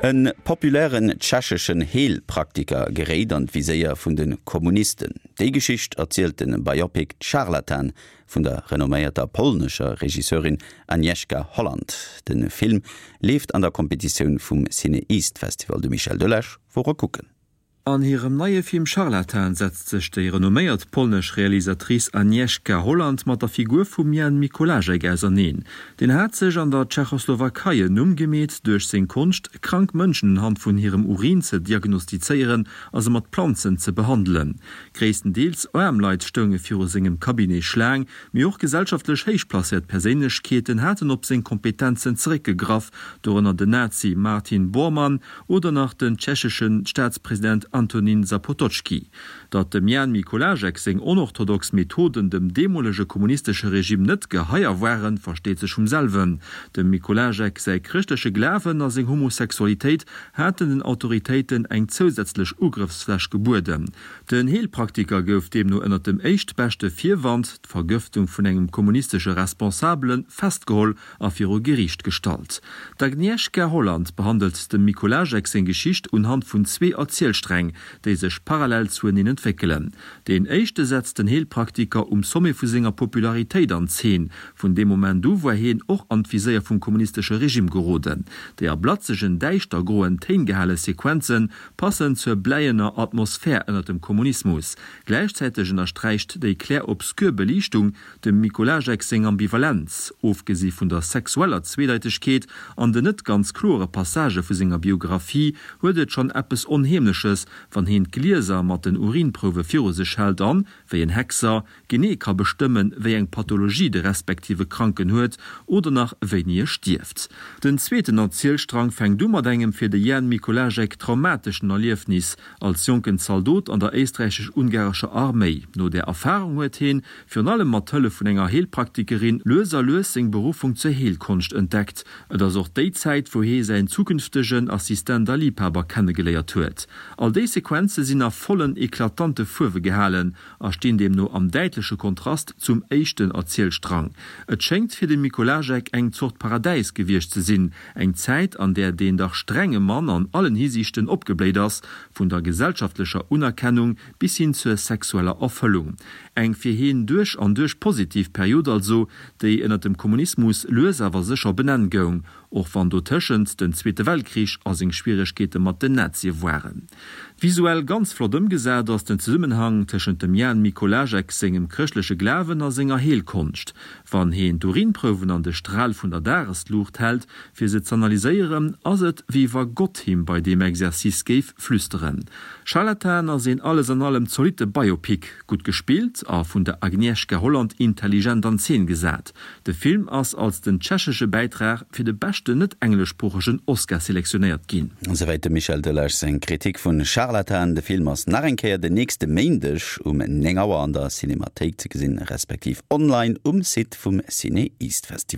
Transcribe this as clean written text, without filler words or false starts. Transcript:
E populären tschecheschen Heelpraktiker geréit an d'Viséier vun de Kommunisten. Déi Geschicht erzielt de Biopic Scharlatan vun der renomméierter polnescher Regisseurin Agnieszka Holland. De Film leeft an der Kompetitioun vum CinEast Festival. De Michel Delage wor e kucken. An hirem neie Film Scharlatan setzt sech déi renomméiert polnesch Realisatrice Agnieszka Holland mat der Figur vum Jan Mikołajek auserneen. Deen hat sech an der Tschechoslowakei en Numm gemeet duerch seng Konscht, krank Mënschen unhand vun hirem Urin ze diagnostizéieren a se mat Planzen ze behandelen. Gréisstendeels aarm Leit stounge viru sengem Cabinet Schlaang, mee och gesellschaftlech héich placéiert Perséinlechkeeten haten op seng Kompetenzen zeréckgegraff, dorënner den Nazi Martin Bormann Oder nach den tschechesche Staatspresident Antonín Zapotocky. Datt dem Jan Mikolášek seng onorthodox Methoden dem deemolege kommunistesche Regime net geheier waren, versteet sech vum selwen. Dem Mikolášek säi chrëschtleche Glawen a seng Homosexualitéit haten den Autoritéiten eng zousätzlech Ugrëffsfläch gebueden. Den Heelpraktiker gouf deemno ënnert dem éischtbeschte Virwand, d'Vergëftung vun engem kommunistesche Responsabelen, festgeholl a viru Geriicht gestallt. D'Agnieszka Holland behandelt dem Mikołajek seng Geschicht unhand vun zwee Erzielsträng, déi sech parallel zueneen entwéckelen. Deen éischte setzt den Heelpraktiker um Sommet vu senger Popularitéit an Zeen. Vun deem Moment u war hien och an d'Viséier vum kommunistesche Regime geroden. Déi a blatzegen, däischter-groen Téin gehale Sequenze passen zur bläiener Atmosphär ënner dem Kommunismus. Gläichzäiteg ënnersträicht déi clair-obscur Beliichtung Dem Mikołajek seng Ambivalenz, ofgesi vun der sexueller Zweedeitegkeet an den net ganz kloere Passagë vu senger Biographie, huet et schonn eppes Onheemleches, wann heen d'Glieser mat den Urinprouwe viru sech hält an, wéi en Hexer, genee ka bestëmmen, wéi eng Pathologie de respektive Kranken huet oder nach wéini e stierft. Den zweeten Erzielstrang fänkt u mat engem fir de Jan Mikołajek traumateschen Erliefnis als jonken Zaldot an der éisträichesch-ungarescher Arméi. No där Erfarung huet heen, virun allem mat Hëllef vun enger Heelpraktikerin, lues a lues seng Beruffung zur Heelkonscht entdeckt. Et ass och déi Zäit, wou hee säin zukünftegen Assistent a Liibhaber kennegeléiert huet. All déi Sequenze sinn a vollen, eklatante Fuerwe gehalen a stinn deemno am däitleche Kontrast zum éischten Erzielstrang. Et schéngt fir de Mikołajek eng Zort Paradäis gewiescht ze sinn, eng Zäit, an där deen dach strenge Mann an allen Hisiichten opgebléit ass, vun der gesellschaftlecher Unerkennung bis hin zur sexueller Erfëllung. Eng fir heen duerch an duerch positiv Period also, déi ënnert dem Kommunismus lues awer sécher op en Enn goung, och wann dotëschent den Zweete Weltkrich a seng Schwieregkeete mat den Nazie waren. Visuell ganz flott ëmgesat ass den Zesummenhang tëschent dem Jan Mikołajek sengem chrëschtleche Glawen a senger Heelkonscht. Wann heen d'Urinprouwen an de Stral vun der Dagesluucht hält, fir se z'analyséieren, ass et wéi wa Gott him bei deem Exercice géif flüsteren. Scharlatan ass een alles an allem zolitte Biopic, gutt gespillt a vun der Agnieszka Holland intelligent an Zeen gesat. De Film ass als den tschechesche Bäitrag fir de beschten net-engleschsproochegen Oscar selektionéiert ginn. Esouwäit dem Michel Delage seng Kritik vun Scharlatan. De Film ass nach eng Kéier den nächste Méindeg um 9 Auer an der Cinemathéik ze gesinn, respektiv online um Site vum CinEast Festival.